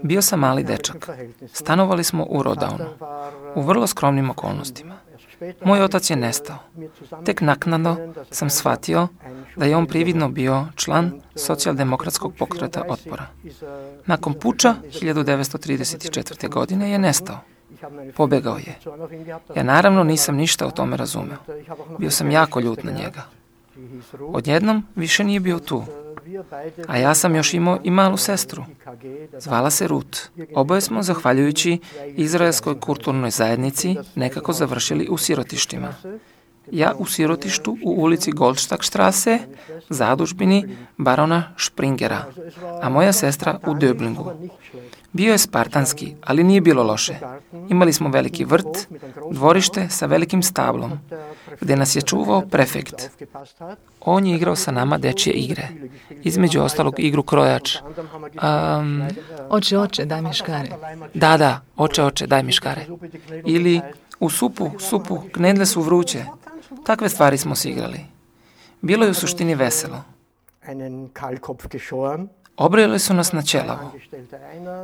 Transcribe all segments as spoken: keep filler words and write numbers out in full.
Bio sam mali dečak. Stanovali smo u Rodownu, u vrlo skromnim okolnostima. Moj otac je nestao. Tek naknadno sam shvatio da je on prividno bio član socijaldemokratskog pokreta otpora. Nakon puča hiljadu devetsto trideset četvrte. godine je nestao. Pobegao je. Ja naravno nisam ništa o tome razumeo. Bio sam jako ljut na njega. Odjednom više nije bio tu. A ja sam još imao i malu sestru. Zvala se Ruth. Oboje smo, zahvaljujući izraelskoj kulturnoj zajednici, nekako završili u sirotištima. Ja u sirotištu u ulici Goldstagstrasse, zadužbini barona Springera, a moja sestra u Döblingu. Bio je spartanski, ali nije bilo loše. Imali smo veliki vrt, dvorište sa velikim stablom, gdje nas je čuvao prefekt. On je igrao sa nama dečje igre. Između ostalog igru krojač. Um, oče, oče, daj mi škare. Da, da, oče, oče, daj mi škare. Ili u supu, supu, knedle su vruće. Takve stvari smo si igrali. Bilo je u suštini veselo. Obrojili su nas na ćelavo.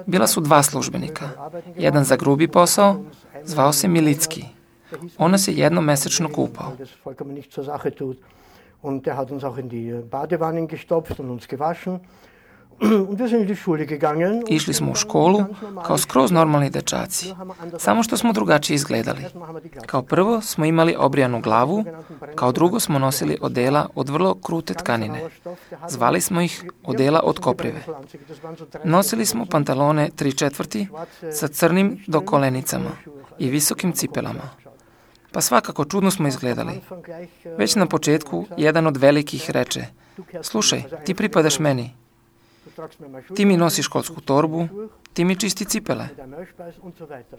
Bila su dva službenika. Jedan za grubi posao, zvao se Milicki. On nas je jednom mesečno kupao. Išli smo u školu kao skroz normalni dečaci, samo što smo drugačije izgledali. Kao prvo smo imali obrijanu glavu, kao drugo smo nosili odela od vrlo krute tkanine. Zvali smo ih odela od koprive. Nosili smo pantalone tri četvrti sa crnim do kolenicama i visokim cipelama. Pa svakako čudno smo izgledali. Već na početku jedan od velikih reče: slušaj, ti pripadaš meni. Ti mi nosiš školsku torbu, ti mi čisti cipele,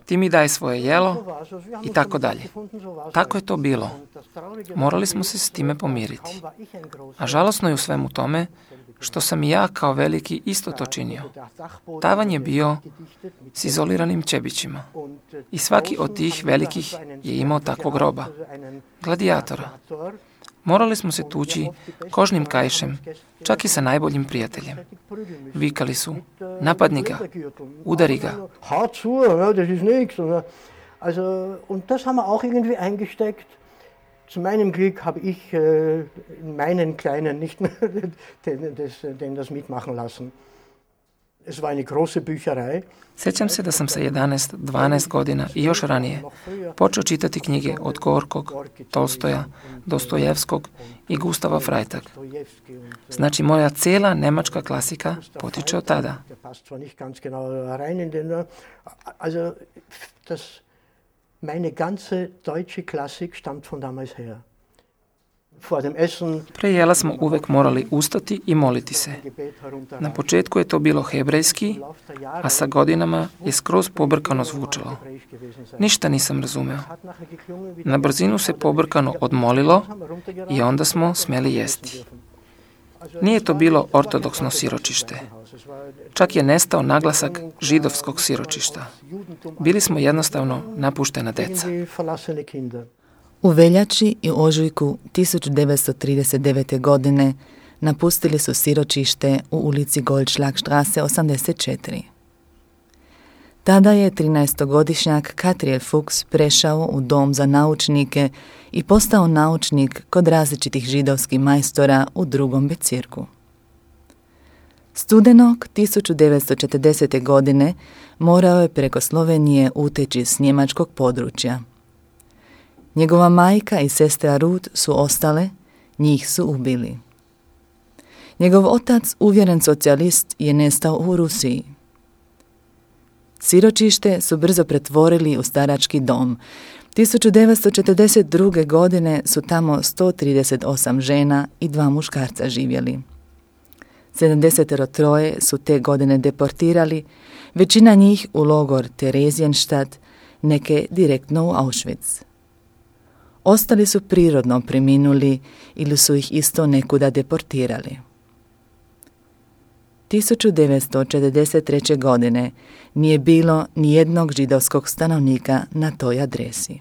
ti mi daj svoje jelo i tako dalje. Tako je to bilo. Morali smo se s time pomiriti. A žalosno je u svemu tome što sam i ja kao veliki isto to činio. Tavan je bio s izoliranim čebićima i svaki od tih velikih je imao takvog roba, gladijatora. Morali smo se tući kožnim kaišem, čak i sa najboljim prijateljem. Vikali su: napadni ga, udari ga. Zu meinem Glück habe ich meinen Kleinen nicht mehr den das mitmachen lassen. Es war eine große Bücherei. Sjećam se da sam sa jedanaest dvanaest godina i još ranije počeo čitati knjige od Gorkog, Tolstoja, Dostojevskog i Gustava Freitag. Znači, moja cijela nemačka klasika potiče od tada. Meine ganze deutsche Klassik stammt von damals her. Pre jela smo uvek morali ustati i moliti se. Na početku je to bilo hebrejski, a sa godinama je skroz pobrkano zvučalo. Ništa nisam razumeo. Na brzinu se pobrkano odmolilo i onda smo smjeli jesti. Nije to bilo ortodoksno siročište. Čak je nestao naglasak židovskog siročišta. Bili smo jednostavno napuštena deca. U veljači i ožujku tisuću devetsto trideset devete. godine napustili su siročište u ulici Goldschlagstrasse osamdeset četiri. Tada je trinaestogodišnjak Katriel Fuchs prešao u dom za naučnike i postao naučnik kod različitih židovskih majstora u drugom Bezirku. Studenog tisuću devetsto četrdesete. godine morao je preko Slovenije uteći s njemačkog područja. Njegova majka i sestra Ruth su ostale, njih su ubili. Njegov otac, uvjeren socijalist, je nestao u Rusiji. Siročište su brzo pretvorili u starački dom. tisuću devetsto četrdeset druge. godine su tamo sto trideset osam žena i dva muškarca živjeli. sedamdeset tri su te godine deportirali, većina njih u logor Theresienstadt, neke direktno u Auschwitz. Ostali su prirodno preminuli ili su ih isto nekuda deportirali. tisuću devetsto četrdeset treće. godine nije bilo ni jednog židovskog stanovnika na toj adresi.